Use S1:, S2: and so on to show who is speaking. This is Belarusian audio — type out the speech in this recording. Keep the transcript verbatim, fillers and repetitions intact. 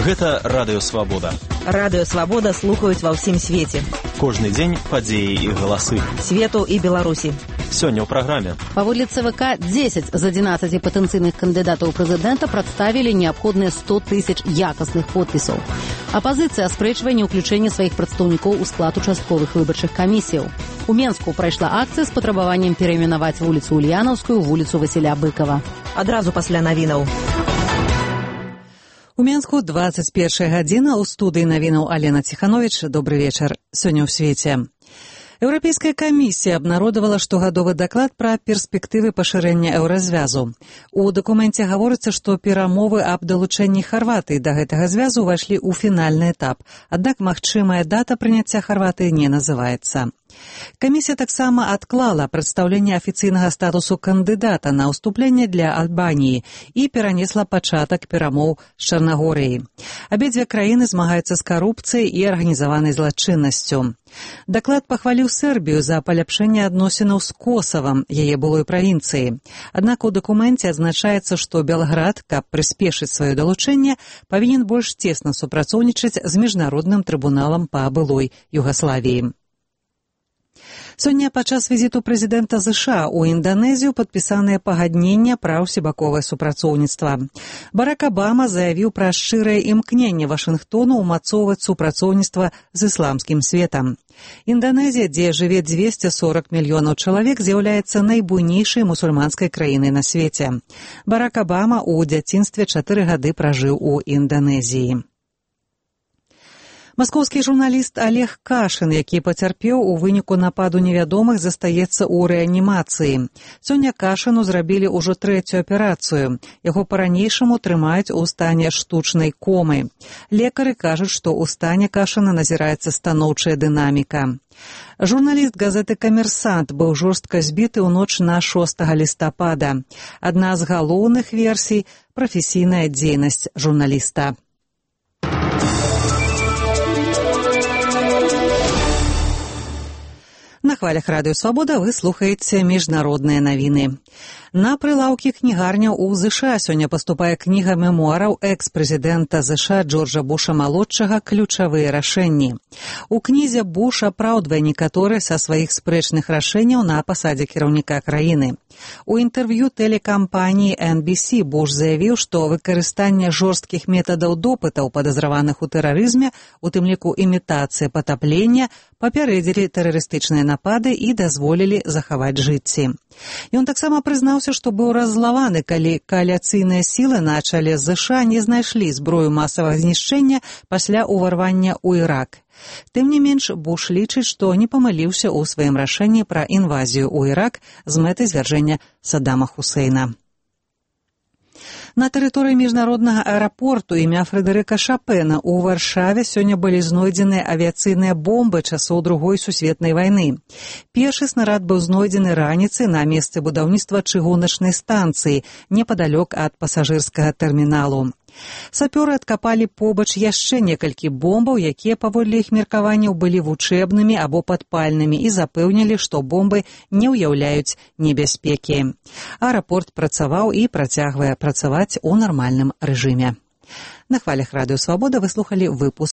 S1: Гэта Радыё Свабода.
S2: Радыё Свабода слухаюць ва ўсім свеце.
S1: Кожны дзень падзеі і галасы.
S2: Свету і Беларусі.
S1: Сёння ў праграме.
S3: Паводле ЦВК, дзесяць з адзінаццаці патэнцыйных кандыдатаў прэзідэнта прадставілі неабходныя сто тысяч якасных подпісаў. Апазіцыя аспрэчвае неўключэнне сваіх прадстаўнікоў у склад участковых выбарчых камісіяў. У Менску прайшла акцыя з патрабаваннем перайменаваць вуліцу Ульянаўскую ў вуліцу Васіля Быкава.
S2: Адразу пасля навінаў.
S4: У Менску дваццаць першая гадзіна, у студыі навінаў Алена Ціхановіч. Добры вечар. Сёння ў свеце. Еўрапейская камісія абнародавала штогадовы даклад пра перспектывы пашырэння еўразвязу. У дакуменце гаворыцца, што перамовы аб далучэнні Харватыі да гэтага звязу ўвайшлі ў фінальны этап, аднак магчымая дата прыняцця Харватыі не называецца. Камісія таксама адклала прадстаўленне афіцыйнага статусу кандыдата на ўступленне для Альбаніі і перанесла пачатак перамоў з Чарнагорыяй. Абедзве краіны змагаюцца з карупцыяй і арганізаванай злачыннасцю. Даклад пахваліў Сербію за паляпшэнне адносінаў з Косавам, яе былой правінцыі. Аднак у дакуменце адзначаецца, што Белград, каб прыспешыць сваё далучэнне, павінен больш цесна супрацоўнічаць з міжнародным трыбуналам па былой Югаславіі. Сёння падчас візіту прэзідэнта ЗША ў Інданезію падпісаныя пагаднення пра ўсебаковае супрацоўніцтва. Барак Абама заявіў пра шчырае імкненне Вашынгтону ўмацоўваць супрацоўніцтва з ісламскім светам. Інданезія, дзе жыве дзвесце сорак мільёнаў чалавек, з'яўляецца найбуйнейшай мусульманскай краінай на свеце. Барак Абама ў дзяцінстве чатыры гады пражыў у Інданезіі. Маскоўскі журналіст Олег Кашын, які пацярпеў у выніку нападу невядомых, застаецца ў рэанімацыі. Сёння Кашыну зрабілі ўжо трэцюю аперацыю. Яго па-ранейшаму трымаюць у стане штучнай комы. Лекары кажуць, што ў стане Кашына назіраецца станоўчая дынаміка. Журналіст газеты «Камерсант» быў жорстка збіты ў ноч на шостага лістапада. Адна з галоўных версій – прафесійная дзейнасць журналіста. На хвалях Радыё Свабода вы слухаеце міжнародныя навіны. На прылаўкі кнігарняў у ЗША сёння паступае кніга мемуараў экс-прэзідэнта ЗША Джорджа Буша-малодшага «Ключавыя рашэнні». У кнізе Буш апраўдвае некаторыя са сваіх спрэчных рашэнняў на пасадзе кіраўніка краіны. У інтэрв'ю тэлекампаніі эн би сі Буш заявіў, што выкарыстанне жорсткіх метадаў допытаў падазраваных у тэрарызме, у тым ліку імітацыя патаплення, папярэдзілі тэрарыстычныя напады і дазволілі захаваць жыцці. Ён таксама прызнаўся, што быў раззлаваны, калі кааліцыйныя сілы на чале з ЗША не знайшлі зброю масавага знішчэння пасля ўварвання ў Ірак. Тым не менш, Буш лічыць, што не памыліўся ў сваім рашэнні пра інвазію ў Ірак з мэтай звяржэння Саддама Хусейна. На тэрыторыі міжнароднага аэрапорту імя Фрэдэрыка Шапена ў Варшаве сёння былі знойдзены авіяцыйныя бомбы часоў Другой сусветнай вайны. Першы снарад быў знойдзены раніцай на месцы будаўніцтва чыгуначнай станцыі непадалёк ад пасажырскага тэрміналу. Сапёры адкапалі побач яшчэ некалькі бомбаў, якія, паводле іх меркаванняў, былі вучэбнымі або падпальнымі і запэўнілі, што бомбы не ўяўляюць небяспекі. Аэрапорт працаваў і працягвае працаваць у нармальным рэжыме. На хвалях Радыё Свабода вы слухалі выпуск